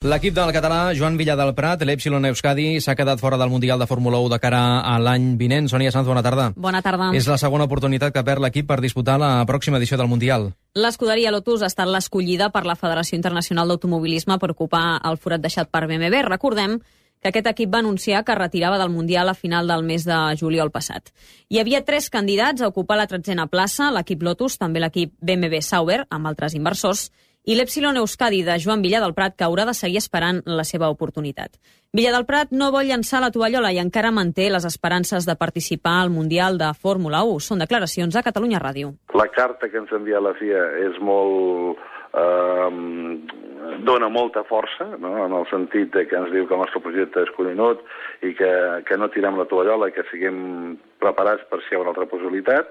L'equip del català Joan Villa del Prat, l'Epsilon Euskadi, s'ha quedat fora del Mundial de Fórmula 1 de cara a l'any vinent. Sònia Sanz, bona tarda. Bona tarda. És la segona oportunitat que perd l'equip per disputar la pròxima edició del Mundial. L'escuderia Lotus ha estat l'escollida per la Federació Internacional d'Automobilisme per ocupar el forat deixat per BMW. Recordem que aquest equip va anunciar que retirava del Mundial a final del mes de juliol passat. Hi havia 3 candidats a ocupar la 13a plaça, l'equip Lotus, també l'equip BMW Sauber, amb altres inversors, i l'Epsilon Euskadi de Joan Villa del Prat, que haurà de seguir esperant la seva oportunitat. Villa del Prat no vol llançar la tovallola i encara manté les esperances de participar al Mundial de Fórmula 1. Són declaracions a Catalunya Ràdio. La carta que ens envia la FIA és molt... dona molta força, no? En el sentit de que ens diu que el nostre projecte és conegut i que no tirem la tovallola i que siguem preparats per si hi ha una altra possibilitat,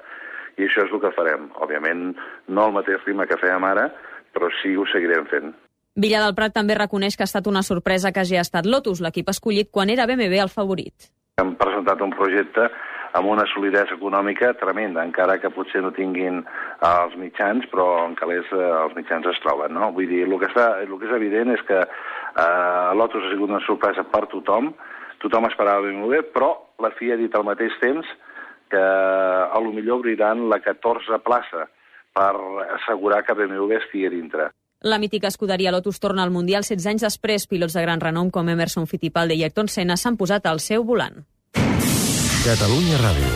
i això és el que farem. Òbviament, no al mateix ritme que fèiem ara, però sí ho seguirem fent. Villa del Prat també reconeix que ha estat una sorpresa que hagi estat Lotus, l'equip escollit quan era BMW el favorit. Hem presentat un projecte amb una solidesa econòmica tremenda, encara que potser no tinguin els mitjans, però en calés els mitjans es troben, no? Vull dir, el que és evident és que Lotus ha sigut una sorpresa per tothom esperava BMW, però la FIA ha dit al mateix temps que a lo millor obriran la 14a plaça per assegurar que BMW estigui dintre. La mítica escuderia Lotus torna al Mundial 16 anys després. Pilots de gran renom com Emerson Fittipaldi i Ayrton Senna s'han posat al seu volant. Catalunya Ràdio.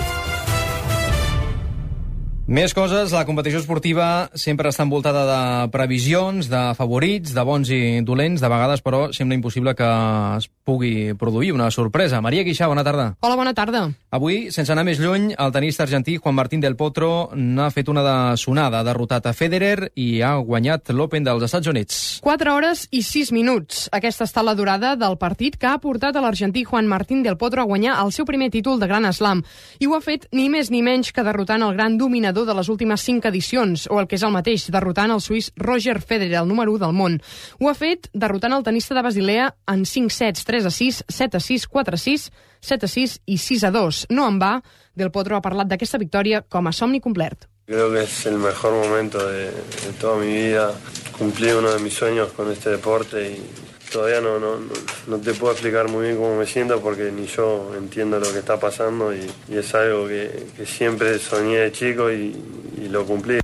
Més coses, la competició esportiva sempre està envoltada de previsions, de favorits, de bons i dolents, de vegades, però sembla impossible que es pugui produir una sorpresa. Maria Guixà, bona tarda. Hola, bona tarda. Avui, sense anar més lluny, el tenista argentí Juan Martín del Potro n'ha fet una de sonada. Ha derrotat a Federer i ha guanyat l'Open dels Estats Units. 4 hores i 6 minuts. Aquesta ha estat la durada del partit que ha portat a l'argentí Juan Martín del Potro a guanyar el seu primer títol de Gran Slam. I ho ha fet ni més ni menys que derrotant el gran dominador de les últimes 5 edicions, o el que és el mateix, derrotant el suís Roger Federer, el número 1 del món. Ho ha fet derrotant el tenista de Basilea en 5 sets, 3-6, 7-6, 4-6, 7-6 i 6-2. No en va, Del Potro ha parlat d'aquesta victòria com a somni complet. Creo que es el mejor momento de toda mi vida. Cumplí uno de mis sueños con este deporte y todavía no te puedo explicar muy bien cómo me siento porque ni yo entiendo lo que está pasando y es algo que siempre soñé de chico y lo cumplí.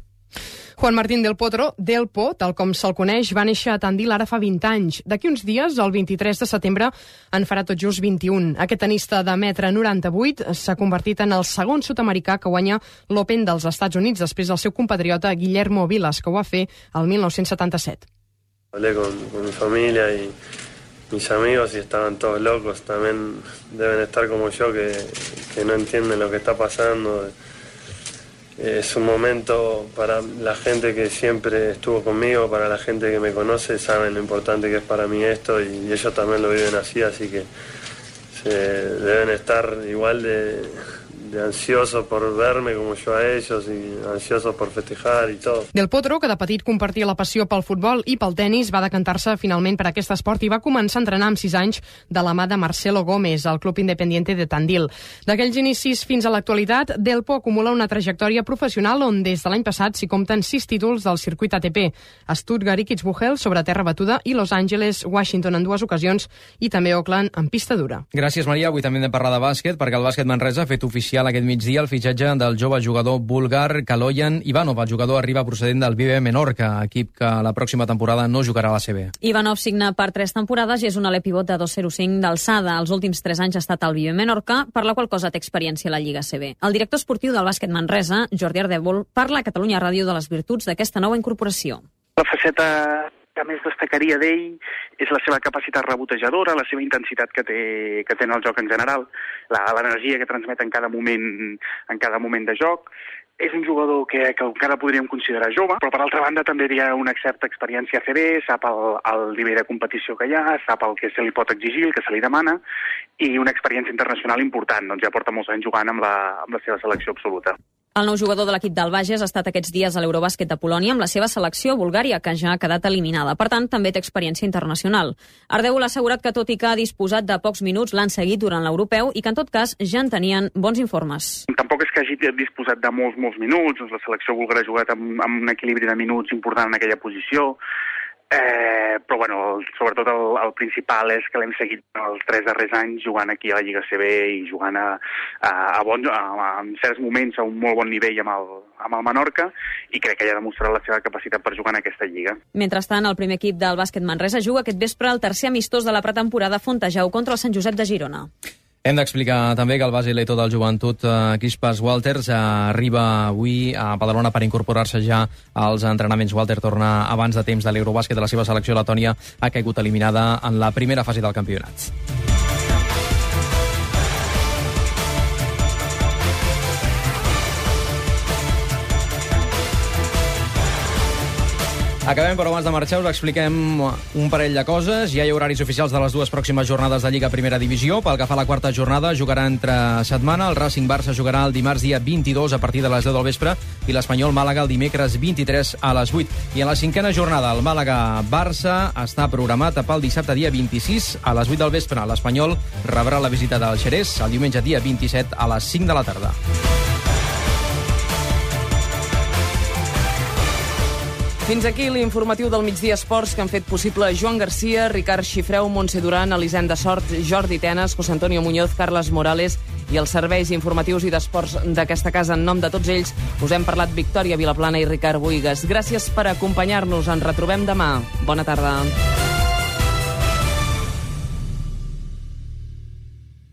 Juan Martín del Potro, Delpo, tal com se'l coneix, va néixer a Tandil ara fa 20 anys. D'aquí uns dies, el 23 de setembre, en farà tot just 21. Aquest tenista de 1,98 m s'ha convertit en el segon sud-americà que guanya l'Open dels Estats Units després del seu compatriota Guillermo Vilas, que ho va fer el 1977. Hablé con mi familia y mis amigos y estaban todos locos. También deben estar como yo que no entienden lo que está pasando. Es un momento para la gente que siempre estuvo conmigo, para la gente que me conoce, saben lo importante que es para mí esto y ellos también lo viven así que se deben estar igual de ansiosos por verme como yo a ellos y ansiosos por festejar y todo. Del Potro, que de petit compartia la passió pel futbol i pel tenis, va decantar-se finalment per aquest esport i va començar a entrenar amb 6 anys de la mà de Marcelo Gómez, al Club Independiente de Tandil. D'aquells inicis fins a l'actualitat, Delpo acumula una trajectòria professional on des de l'any passat s'hi compten 6 títols del circuit ATP, Stuttgart i Kitzbühel sobre terra batuda i Los Angeles, Washington en 2 ocasions i també Oakland en pista dura. Gràcies, Maria. Avui també hem de parlar de bàsquet, perquè el bàsquet Manresa ha fet oficial aquest migdia el fitxatge del jove jugador búlgar Kaloyan Ivanov. El jugador arriba procedent del BB Menorca, equip que la pròxima temporada no jugarà a la CB. Ivanov signa per 3 temporades i és un aler pivot de 2,05 d'alçada. Els últims 3 anys ha estat al BB Menorca, per la qual cosa té experiència a la Lliga CB. El director esportiu del bàsquet Manresa, Jordi Ardèvol, parla a Catalunya Ràdio de les virtuts d'aquesta nova incorporació. La faceta que més destacaria d'ell és la seva capacitat rebotejadora, la seva intensitat que té en el joc en general, l'energia que transmet en cada moment de joc. És un jugador que encara podríem considerar jove, però per altra banda també hi ha una certa experiència a CB, sap el nivell de competició que hi ha, sap el que se li pot exigir, el que se li demana, i una experiència internacional important. Doncs ja porta molts anys jugant amb la seva selecció absoluta. El nou jugador de l'equip del Bages ha estat aquests dies a l'Eurobàsquet de Polònia amb la seva selecció Bulgària, que ja ha quedat eliminada. Per tant, també té experiència internacional. Ardèvol ha assegurat que, tot i que ha disposat de pocs minuts, l'han seguit durant l'europeu i que, en tot cas, ja en tenien bons informes. Tampoc és que hagi disposat de molts minuts. La selecció búlgara ha jugat amb un equilibri de minuts important en aquella posició. Però, bueno, sobretot el principal és que l'hem seguit els 3 darrers anys jugant aquí a la Lliga CB i jugant en certs moments a un molt bon nivell amb el Menorca, i crec que ja ha demostrat la seva capacitat per jugar en aquesta lliga. Mentrestant, el primer equip del bàsquet Manresa juga aquest vespre el tercer amistós de la pretemporada a Fontejau contra el Sant Josep de Girona. Hem d'explicar també que el base leto del Joventut, Crispas Walters, arriba avui a Badalona per incorporar-se ja als entrenaments. Walter torna abans de temps de l'Eurobàsquet de la seva selecció. Letònia ha caigut eliminada en la primera fase del campionat. Acabem, però abans de marxar us expliquem un parell de coses. Ja hi ha horaris oficials de les 2 pròximes jornades de Lliga Primera Divisió. Pel que fa a la quarta jornada, jugarà entre setmana. El Racing Barça jugarà el dimarts dia 22 a partir de les 10 del vespre i l'Espanyol Màlaga el dimecres 23 a les 8. I en la cinquena jornada, el Màlaga-Barça està programat pel dissabte dia 26 a les 8 del vespre. L'Espanyol rebrà la visita del Xerès el diumenge dia 27 a les 5 de la tarda. Fins aquí l'informatiu del Migdia Esports que han fet possible Joan Garcia, Ricard Xifreu, Montse Duran, Elisenda Sort, Jordi Tenes, José Antonio Muñoz, Carles Morales i els serveis informatius i d'esports d'aquesta casa. En nom de tots ells us hem parlat Victòria Vilaplana i Ricard Boigas. Gràcies per acompanyar-nos. Ens retrobem demà. Bona tarda.